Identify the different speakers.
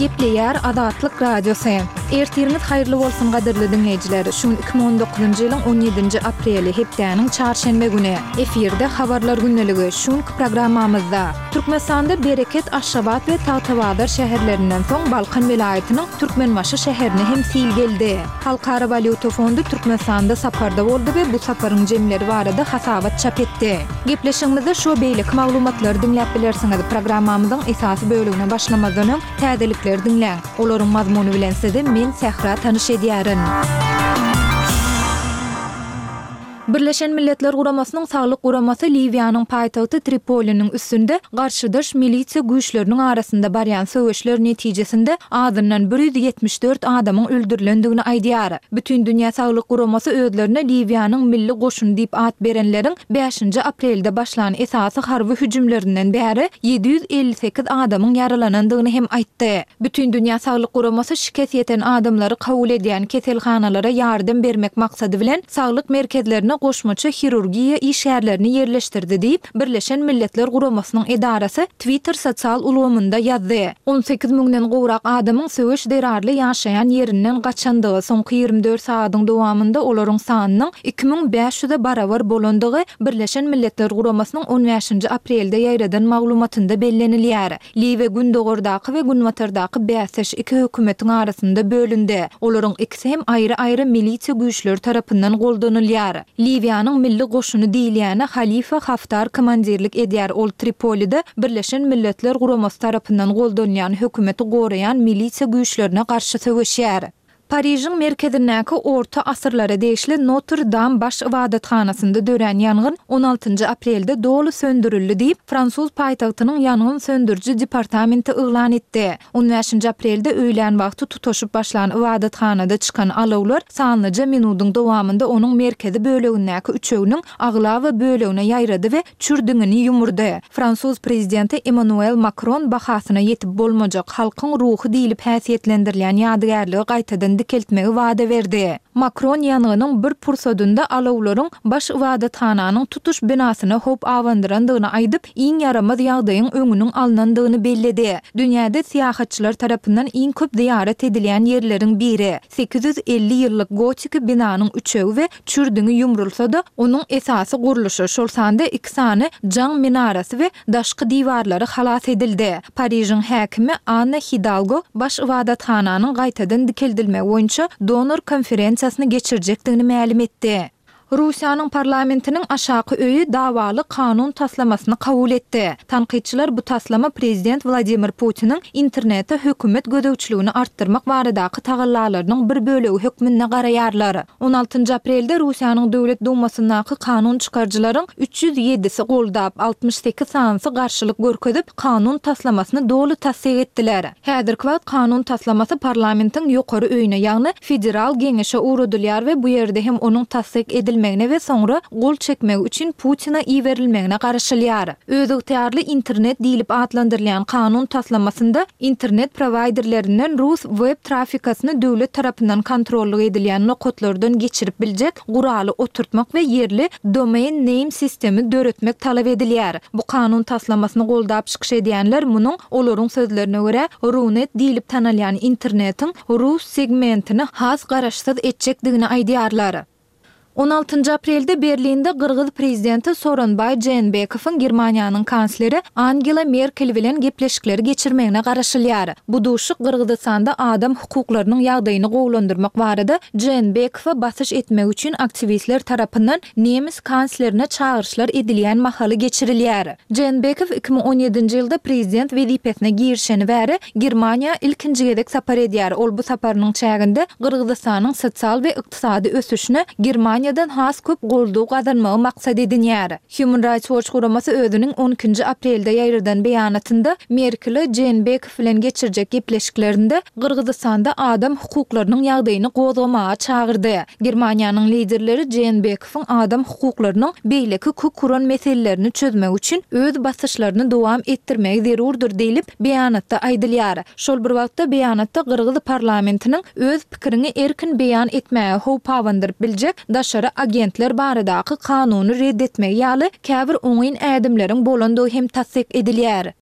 Speaker 1: Gepleýär Azatlyk Radiosy. Ertiriňiz haýyrly bolsun gadyrly diňleýjiler. Şu gün 2019-njy ýylyň 17-nji apreli, hepdäniň çarşenbe güni. Efirde Habarlar gündeligi. Şu günki programmamyzda. Türkmenistanda Bereket, Aşgabat we Tagtabazar şäherlerinden soň Balkan welaýatynyň Türkmenbaşy şäherine hem sil geldi. Halkara walýuta fondy Türkmenistanda saparda boldy we bu saparyň jemleri barada hasabat çap etdi. Gepleşigimizde şu we beýleki maglumatlary diňläp bilersiňiz. Programmamyzyň esasy bölegine başlamazdan öň, täzelikleri diňläň. Olaryň mazmuny bilen sizi men Sähra tanyş edýärin. Birleşen Milletler Guramasynyň Saglyk guramasy Liwiýanyň paýtagty Tripoliniň üstünde garşydaş milisiýa güýçleriniň arasynda barýan söweşler netijesinde azyndan 174 adamyň öldürilendigini aýdýar. Bütindünýä Saglyk Guramasy özlerine Liwiýanyň Milli goşuny diýip at berenleriň bäşinji aprelde başlan esasy harby hüjümlerinden bäri 758 adamyň ýaralanandygyny hem aýtdy. Bütindünýä Saglyk Guramasy şikes ýeten adamlary kabul edýän keselhanalara ýardam bermek maksady bilen, saglyk merkezlerine goşmaça hirurgiýa işgärlerini ýerleşdirdi diýip, Birleşen Milletler Guramasynyň edarasy Twitter sosial ulgamynda ýazdy. 18 müňden gowrak adamyň söweş zerarly ýaşaýan ýerinden gaçandygy, soňky 24 sagadyň dowamynda olaryň sanynyň 2500-e barabar bolandygy Birleşen Milletler Guramasynyň on bäşinji aprelde ýaýradan maglumatynda bellenilýär. Liwiýa gündogardaky we günbatardaky bäsdeş iki hökümetiň arasynda bölündi. Olaryň ikisi hem aýry-aýry milisiýa güýçleri tarapyndan goldanylýar. Liwiýanyň milli goşuny diýilýäne Halifa Haftar komandirlik edýär, ol Tripolide Birleşen Milletler Guramasy tarapyndan goldanylýan hökümeti goraýan milisiýa güýçlerine garşy söweşýär. Parižiň merkezindäki orta asyrlara degişli Notr-Dam baş ybadathanasynda dörän ýangyn on altynjy aprelde doly söndürildi diýip, fransuz paýtagtynyň ýangyn söndüriji departamenti yglan etdi. On bäşinji aprelde öýlän wagty tutaşyp başlan ybadathanada çykan alawlar sanlyja minudyň dowamynda onuň merkezi bölegindäki üçeginiň aglaba bölegine ýaýrady we çür diňini ýumurdy. Fransuz prezidenti Emmanuel Makron bahasyna ýetip bolmajak, halkyň ruhy diýlip häsiýetlendirilýän ýadygärligi gaýtadan dikeltmegi wada berdi. Makron ýangynyň bir pursadynda alawlaryň baş ybadathananyň tutuş binasyna howp abandyrandygyny aýdyp, iň ýaramaz ýagdaýyň öňüniň alnandygyny belledi. Dünýäde syýahatçylar tarapyndan iň köp zyýarat edilýän ýerleriň biri, 850 ýyllyk gotiki binanyň üçegi we Çürdüňi ýumrulsa-da, onuň esasy gurluşy, şol sanda iki sany jaň minarasy we daşky diwarlary halas edildi. Parižiň häkimi Anna Hidalgo baş ybadathananyň gaýtadan dikeldilmegi boýunça donor konferensiýasyny geçirjekdigini mälim etdi. Russiýanyň parlamentiniň aşaky öýi dawaly kanun taslamasyny kabul etdi. Tankytçylar bu taslama prezident Wladimir Putiniň internete hökümet gözegçiligini artdyrmak baradaky tagallalarynyň bir bölegi hökmünde garaýarlar. On altynjy aprelde Russiýanyň Döwlet Dumasyndaky kanun çykaryjylaryň 307-si goldap, 68 sanysy garşylyk görkezip, kanun taslamasyny doly tassyk etdiler. Häzirki wagt kanun taslamasy parlamentiň ýokary öýüne, ýagny Federal Geňeşe ugradylýar we bu ýerde hem onuň tassyk edilmegine we soňra gol çekmegi üçin Putine iberilmegine garaşylýar. Özygtyýarly internet diýlip atlandyrylýan kanun taslamasynda internet prowaýderlerinden rus web trafikasyny döwlet tarapyndan kontrollyk edilýän nokatlardan geçirip biljek guraly oturtmak we ýerli Domain Name System-i döretmek talap edilýär. Bu kanun taslamasyny goldap çykyş edýänler munuň, olaryň sözlerine görä, Runet diýlip tanalýan internetiň rus segmentini has garaşsyz etjekdigini aýdýarlar. On altynjy aprelde Berlinde gyrgyz prezidenti Sooronbaý Jeenbekowyň Germaniýanyň kansleri Angela Merkel bilen gepleşikleri geçirmegine garaşylýar. Bu duşuşyk Gyrgyzystanda adam hukuklarynyň ýagdaýyny gowulandyrmak barada Jeenbekowa basyş etmek üçin aktiwistler tarapyndan nemes kanslerine çagyryşlar edilýän mahaly geçirilýär. Jeenbekow 2017-nji ýylda prezident wezipesine girişeni bäri Germaniýa ilkinji gezek sapar edýär. Ol bu saparynyň çäginde Gyrgyzystanyň sosial we ykdysady ösüşine Germaniýadan has köp goldaw gazanmagy maksat edinýär. Human Rights Watch guramasy özüniň on ikinji aprelde ýaýradan beýanatynda Merkele Jeenbekow bilen geçirjek gepleşiklerinde Gyrgyzystanda adam hukuklarynyň ýagdaýyny gozgamaga çagyrdy. Germaniýanyň liderleri Jeenbekowyň adam hukuklarynyň beýleki kök uran meselelerini çözmek üçin öz basyşlaryny dowam etdirmegi zerurdyr diýlip, beýanatda aýdylýar. Şol bir wagtda, beýanatda gyrgyz parlamentiniň öz pikiriňi erkin beýan etmäge howp abandyryp biljek daşary agentler baradaky kanuny red etmegi ýaly käbir oňyn ädimleriň bolandygy hem tassyk edilýär.